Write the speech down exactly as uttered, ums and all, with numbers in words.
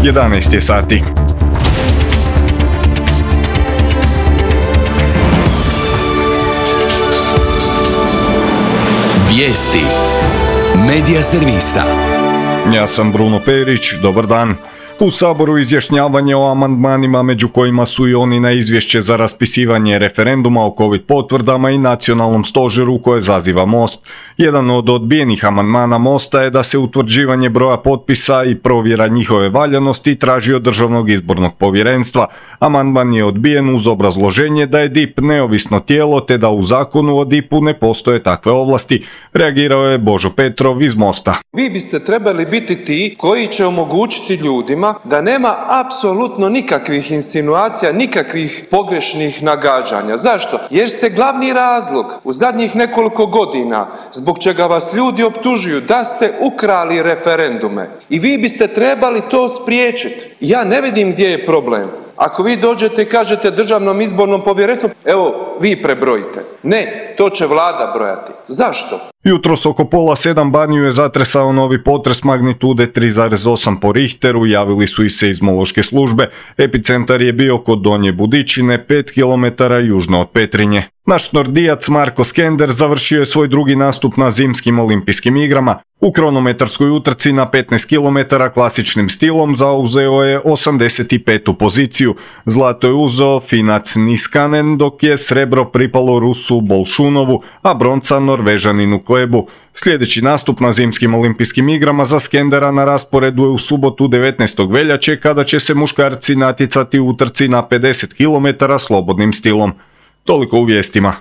jedanaest je sati. Vijesti Medija servisa. Ja sam Bruno Perić, dobar dan. U Saboru izjašnjavanje o amandmanima, među kojima su i oni na izvješće za raspisivanje referenduma o covid potvrdama i nacionalnom stožeru koje zaziva Most. Jedan od odbijenih amandmana Mosta je da se utvrđivanje broja potpisa i provjera njihove valjanosti traži od Državnog izbornog povjerenstva. Amandman je odbijen uz obrazloženje da je D I P neovisno tijelo te da u zakonu o D I P-u ne postoje takve ovlasti. Reagirao je Božo Petrov iz Mosta. Vi biste trebali biti ti koji će omogućiti ljudima da nema apsolutno nikakvih insinuacija, nikakvih pogrešnih nagađanja. Zašto? Jer ste glavni razlog u zadnjih nekoliko godina zbog čega vas ljudi optužuju da ste ukrali referendume. I vi biste trebali to spriječiti. Ja ne vidim gdje je problem. Ako vi dođete i kažete Državnom izbornom povjerenstvu, evo, vi prebrojite. Ne, to će vlada brojati. Zašto? Jutros oko pola sedam Baniju je zatresao novi potres magnitude tri zarez osam po Richteru, javili su i seizmološke službe. Epicentar je bio kod Donje Budičine, pet kilometara južno od Petrinje. Naš nordijac Marko Skender završio je svoj drugi nastup na zimskim olimpijskim igrama. U kronometarskoj utrci na petnaest kilometara klasičnim stilom zauzeo je osamdeset petu poziciju. Zlato je uzeo Finac Niskanen, dok je srebro pripalo Rusu Bolšunovu, a bronca Norvežaninu Klebu. Sljedeći nastup na zimskim olimpijskim igrama za Skendera na rasporedu je u subotu devetnaestog veljače, kada će se muškarci natjecati u utrci na pedeset kilometara slobodnim stilom. Toliko u vijestima.